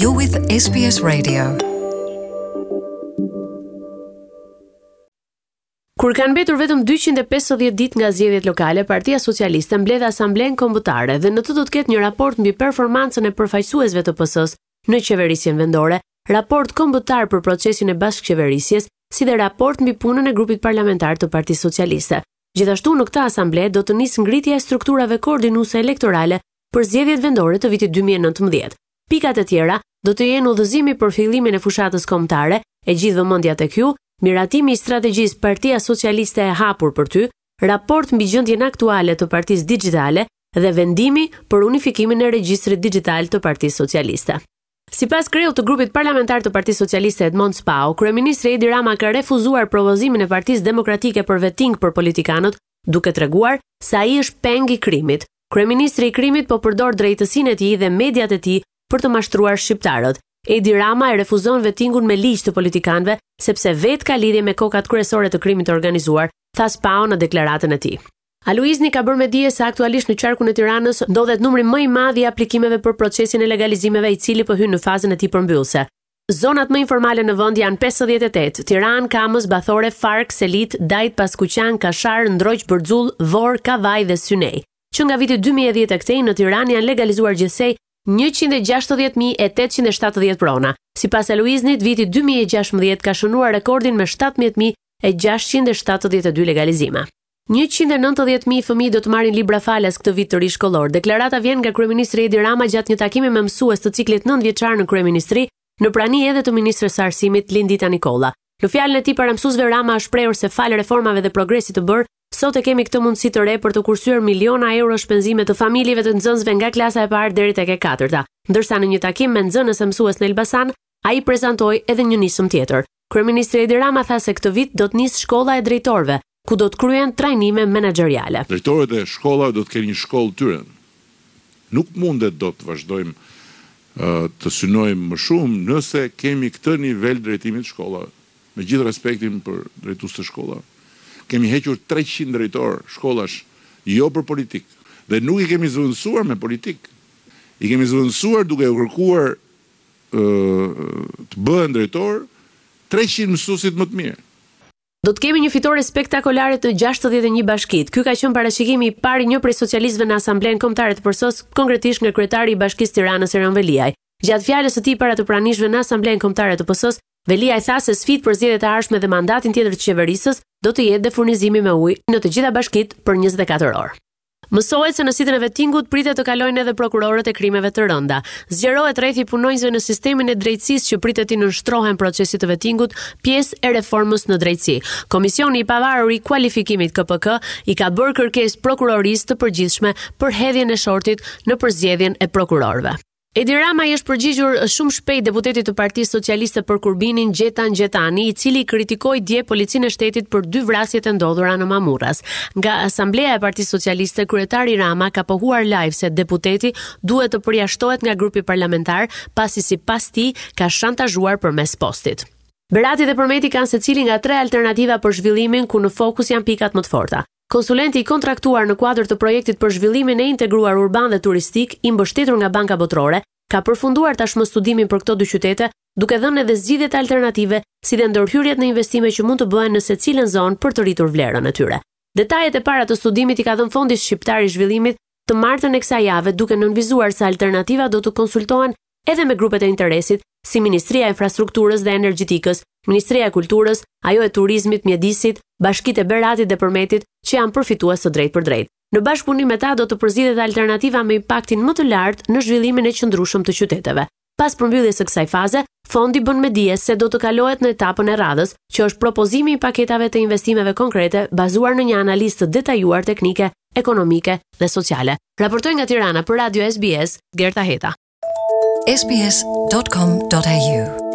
You're with SBS Radio. Kur kanë mbetur vetëm 250 ditë nga zgjedhjet lokale, Partia Socialiste mbledh Asamblenë Kombëtare dhe në të do të ketë një raport mbi performancën e përfaqësuesve të PS-së në qeverisjen vendore, raport kombëtar për procesin e bashkëqeverisjes, si dhe raport mbi punën e grupit parlamentar të Partisë Socialiste. Gjithashtu në këtë asamble do të nisë ngritja e strukturave koordinuese elektorale për zgjedhjet vendore të vitit 2019. Pikat e tjera do të jenë udhëzimi për fillimin e fushatës kombëtare, e gjithë vëmendja tek ju, miratimi i strategjisë Partia Socialiste e hapur për ty, raport mbi gjendjen aktuale të partisë dixhitale dhe vendimi për unifikimin e regjistrit dixhital të Partisë Socialiste. Sipas kreut të grupit parlamentar të Partisë Socialiste Edmond Spaho, kryeministri Edi Rama ka refuzuar propozimin e Partisë Demokratike për vetting për politikanët, duke treguar se ai është peng i krimit. Kryeministri i krimit po përdor drejtësinë e tij dhe mediat e tij për të mashtruar shqiptarët. Edi Rama e refuzon vettingun me ligj të politikanëve sepse vetë ka lidhje me kokat kryesore të krimit të organizuar, tha Spaho në deklaratën e tij. Aluizni ka bërë me dije se aktualisht në qarkun e Tiranës ndodhet numri më i madh i aplikimeve për procesin e legalizimeve i cili po hyn në fazën e tij përmbyllëse. Zonat më informale në vend janë 58, Tiranë, Kamëz, Bathore, Farkë, Selitë, Dajt, Paskuqan, Kashar, Ndroq, Bërxull, Vorë, Kavajë dhe Synej. Që nga viti 2010 e këtej në Tiranë janë legalizuar gjithsej 160.870 prona. Sipas Aluiznit, viti 2016 ka shënuar rekordin me 17.672 legalizime. 190.000 fëmijë do të marrin libra falas këtë vit të ri shkollor. Deklarata vjen nga kryeministri Edi Rama gjatë një takimi me mësues të ciklit 9 vjeçar në kryeministri, në prani edhe të ministres së Arsimit Lindita Nikolla. Në fjalën e tij para mësuesve Rama është shprehur se falë reformave dhe progresit të bërë, sot e kemi këtë mundësi të re për të kursyer miliona euro shpenzime të familjeve të nxënësve nga klasa e parë deri tek e katërta. Ndërsa në një takim me nxënës e mësues në Elbasan, ai prezantoi edhe një nismë tjetër. Kryeministri Edi Rama tha se këtë vit do të nisë shkolla e drejtorëve, ku do të kryhen trajnime menaxheriale. Drejtorët e shkollave do të kenë një shkollë të tyre. Nuk mundet dot të vazhdojmë të synojmë më shumë nëse kemi këtë nivel drejtimi të shkollave. Me gjithë respektin për drejtuesit e shkollave. Kemi hequr 300 drejtorë shkollash jo për politikë dhe nuk i kemi zëvendësuar me politikë. I kemi zëvendësuar duke u kërkuar të bëhen drejtorë 300 mësuesit më të mirë. Do të kemi një fitore spektakolare të 61 bashkitë. Ky ka qenë parashikimi i parë i një prej socialistëve në Asamblenë Kombëtare të PS-së, konkretisht nga kryetari i Bashkisë Tiranës Erion Veliaj. Gjatë fjalës së tij para të pranishmëve në Asamblenë Kombëtare të PS-së, Veliaj tha se sfidë për zgjedhjet e ardhshme dhe mandatin tjetër të qeverisë do të jetë dhe furnizimi me ujë në të gjitha bashkitë për 24 orë. Mësohet se në sitën e vetingut pritet të kalojnë edhe prokurorët e krimeve të rënda. Zgjerohet rrethi i punonjësve në sistemin e drejtësisë që pritet t'i nënshtrohen procesit të vetingut, pjesë e reformës në drejtësi. Komisioni i Pavarur i Kualifikimit KPK i ka bërë kërkesë Prokurorisë të Përgjithshme për hedhjen e shortit në përzgjedhjen e prokurorëve. Edi Rama i është përgjigjur shumë shpejt deputetit të Partisë Socialiste për Kurbinin, Gjetan Gjetani, i cili kritikoi dje policinë e shtetit për dy vrasjet e ndodhura në Mamurras. Nga Asambleja e Partisë Socialiste, kryetari Rama ka pohuar live se deputeti duhet të përjashtohet nga grupi parlamentar, pasi sipas tij ka shantazhuar përmes postit. Berati dhe Përmeti kanë secili nga tre alternativa për zhvillimin ku në fokus janë pikat më të forta. Konsulenti i kontraktuar në kuadër të projektit për zhvillimin e integruar urban dhe turistik, i mbështetur nga Banka Botërore, ka përfunduar tashmë studimin për këto dy qytete, duke dhënë edhe zgjidhjet alternative, si dhe ndërhyrjet në investime që mund të bëhen në secilën zonë për të rritur vlerën e tyre. Detajet e para të studimit i ka dhënë Fondi Shqiptar i Zhvillimit të martën e kësaj jave, duke nënvizuar se alternativat do të konsultohen edhe me grupet e interesit, si Ministria e Infrastrukturës dhe Energjetikës, Ministria e Kulturës, ajo e Turizmit, Mjedisit, bashkitë e Beratit dhe Përmetit, që janë përfitues të drejtpërdrejtë. Në bashkëpunim me ta do të përzgjidhet alternativa me impaktin më të lartë në zhvillimin e qëndrueshëm të qyteteve. Pas përmbylljes së kësaj faze, fondi bën me dije se do të kalohet në etapën e radhës, që është propozimi i paketave të investimeve konkrete bazuar në një analizë të detajuar teknike, ekonomike dhe sociale. Raportoi nga Tirana për Radio SBS, Gerta Heta. sbs.com.au.